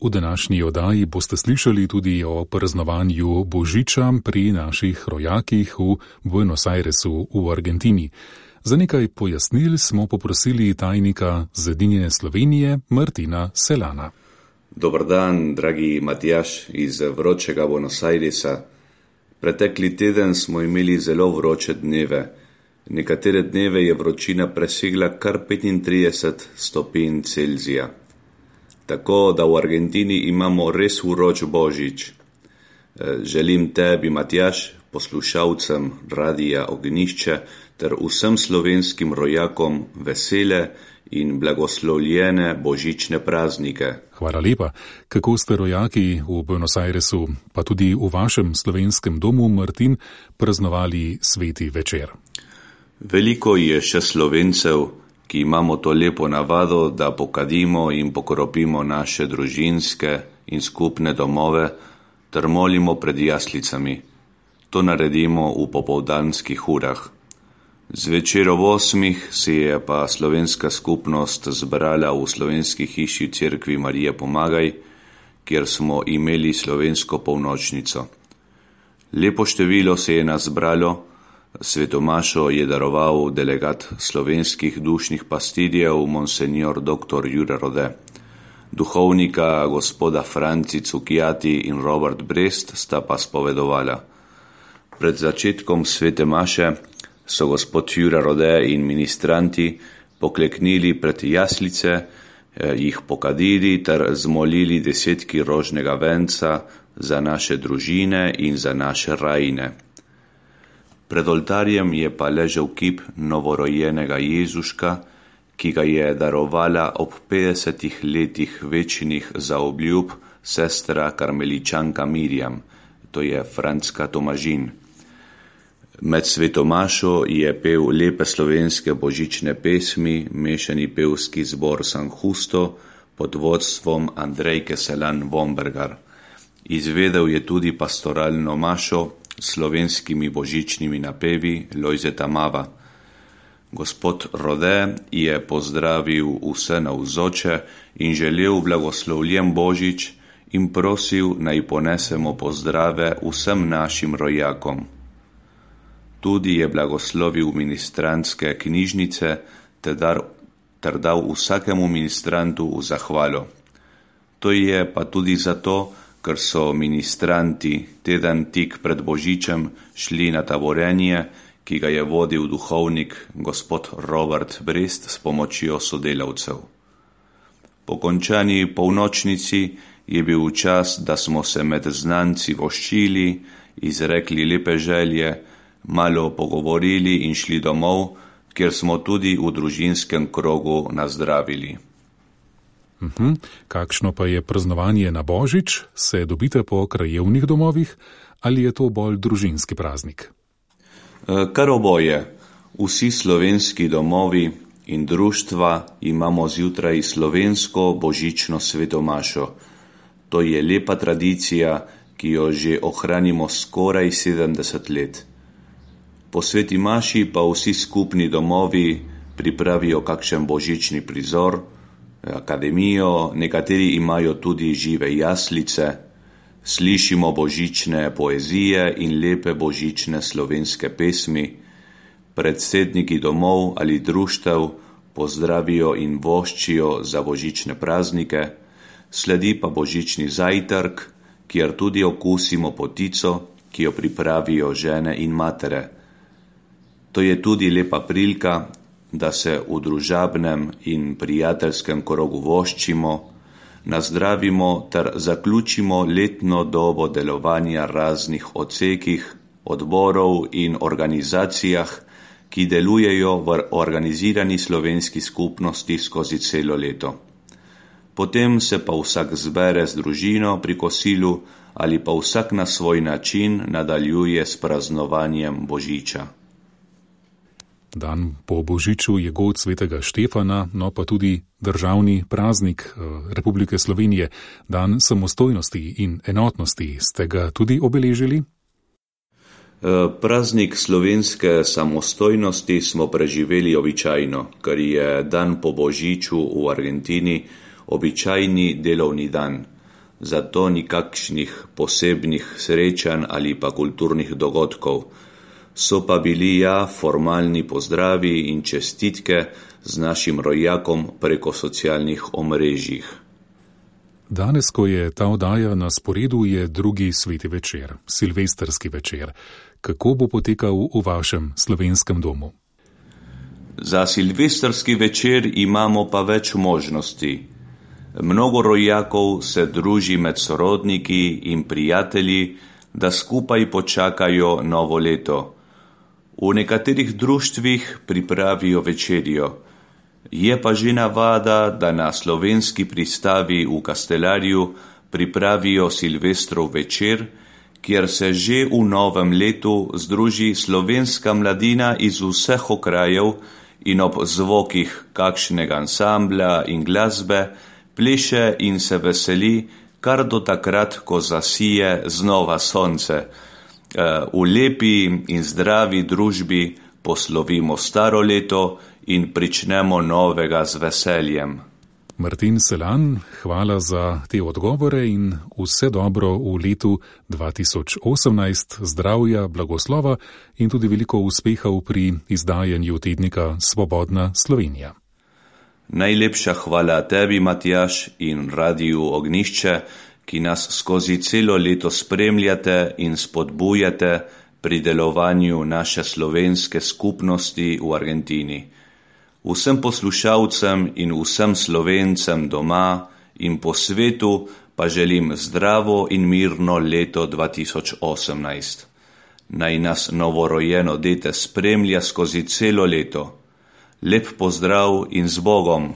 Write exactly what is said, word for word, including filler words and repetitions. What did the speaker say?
V današnji oddaji boste slišali tudi o praznovanju Božiča pri naših rojakih v Buenos Airesu v Argentini. Za nekaj pojasnil smo poprosili tajnika Zedinjene Slovenije Martina Selana. Dobar dan, dragi Matjaž iz vročega Buenos Airesa. Pretekli teden smo imeli zelo vroče dneve. Nekatere dneve je vročina presegla kar petintrideset stopinj Celzija. Tako da v Argentini imamo res vroč Božič. Želim tebi, Matjaž, poslušalcem Radija Ognjišče ter vsem slovenskim rojakom vesele in blagoslovljene božične praznike. Hvala lepa. Kako ste rojaki v Buenos Airesu, pa tudi v vašem slovenskem domu, Martin, praznovali sveti večer? Veliko je še Slovencev, ki imamo to lepo navado, da pokadimo in pokropimo naše družinske in skupne domove ter molimo pred jaslicami. To naredimo v popoldanskih urah. Zvečer ob osmih se je pa slovenska skupnost zbrala v slovenski hiši v cerkvi Marije Pomagaj, kjer smo imeli slovensko polnočnico. Lepo število se je nas zbralo. Svetomašo je daroval delegat slovenskih dušnih pastirjev monsenjor doktor Jure Rode. Duhovnika gospoda Franci Cukjati in Robert Brest sta pa spovedovala. Pred začetkom svete maše so gospod Jure Rode in ministranti pokleknili pred jaslice, jih pokadili ter zmolili desetki rožnega venca za naše družine in za naše rajine. Pred oltarjem je pa ležal kip novorojenega Jezuška, ki ga je darovala ob petdesetih letih večnih zaobljub sestra karmeličanka Mirjam, to je Franska Tomažin. Med svetomašo je pel lepe slovenske božične pesmi mešani pevski zbor San Justo pod vodstvom Andrejke Selan Vombergar. Izvedel je tudi pastoralno mašo s slovenskimi božičnimi napevi Lojzeta Mava. Gospod Rode je pozdravil vse navzoče in želel blagoslovljen Božič in prosil, naj ponesemo pozdrave vsem našim rojakom. Tudi je blagoslovil ministrantske knjižnice ter dal vsakemu ministrantu v zahvalo. To je pa tudi zato, ker so ministranti teden tik pred Božičem šli na taborenje, ki ga je vodil duhovnik gospod Robert Brest s pomočjo sodelavcev. Po končani polnočnici je bil čas, da smo se med znanci voščili, izrekli lepe želje, malo pogovorili in šli domov, kjer smo tudi v družinskem krogu nazdravili. Uhum. Kakšno pa je praznovanje na Božič? Se dobite po krajevnih domovih ali je to bolj družinski praznik? Kar oboje. Vsi slovenski domovi in društva imamo zjutraj slovensko božično svetomašo. To je lepa tradicija, ki jo že ohranimo skoraj sedemdeset let. Po sveti maši pa vsi skupni domovi pripravijo kakšen božični prizor, akademijo, nekateri imajo tudi žive jaslice, slišimo božične poezije in lepe božične slovenske pesmi, predsedniki domov ali društev pozdravijo in voščijo za božične praznike, sledi pa božični zajtrk, kjer tudi okusimo potico, ki jo pripravijo žene in matere. To je tudi lepa prilika, da se v družabnem in prijateljskem krogu voščimo, nazdravimo ter zaključimo letno dobo delovanja raznih odsekih, odborov in organizacijah, ki delujejo v organizirani slovenski skupnosti skozi celo leto. Potem se pa vsak zbere z družino pri kosilu ali pa vsak na svoj način nadaljuje s praznovanjem Božiča. Dan po Božiču je god svetega Štefana, no pa tudi državni praznik Republike Slovenije, dan samostojnosti in enotnosti. Ste ga tudi obeležili? Praznik slovenske samostojnosti smo preživeli običajno, ker je dan po Božiču v Argentini običajni delovni dan. zato nikakšnih posebnih srečanj ali pa kulturnih dogodkov. So pa bili ja formalni pozdravi in čestitke z našim rojakom preko socialnih omrežjih. Danes, ko je ta oddaja na sporedu, je drugi sveti večer, silvestrski večer. Kako bo potekal v vašem slovenskem domu? Za silvestrski večer imamo pa več možnosti. Mnogo rojakov se druži med sorodniki in prijatelji, da skupaj počakajo novo leto. V nekaterih društvih pripravijo večerjo. Je pa že navada, da na slovenski pristavi v Kastelarju pripravijo silvestrov večer, kjer se že v novem letu združi slovenska mladina iz vseh okrajev in ob zvokih kakšnega ansambla in glasbe pleše in se veseli, kar do takrat, ko zasije znova sonce. V lepi in zdravi družbi poslovimo staro leto in pričnemo novega z veseljem. Martin Selan, hvala za te odgovore in vse dobro v letu dva tisoč osemnajst, zdravja, blagoslova in tudi veliko uspehov pri izdajanju tednika Svobodna Slovenija. Najlepša hvala tebi, Matjaž, in Radiu Ognjišče, ki nas skozi celo leto spremljate in spodbujate pri delovanju naše slovenske skupnosti v Argentini. Vsem poslušalcem in vsem Slovencem doma in po svetu pa želim zdravo in mirno leto dva tisoč osemnajst. Naj nas novorojeno dete spremlja skozi celo leto. Lep pozdrav in z Bogom!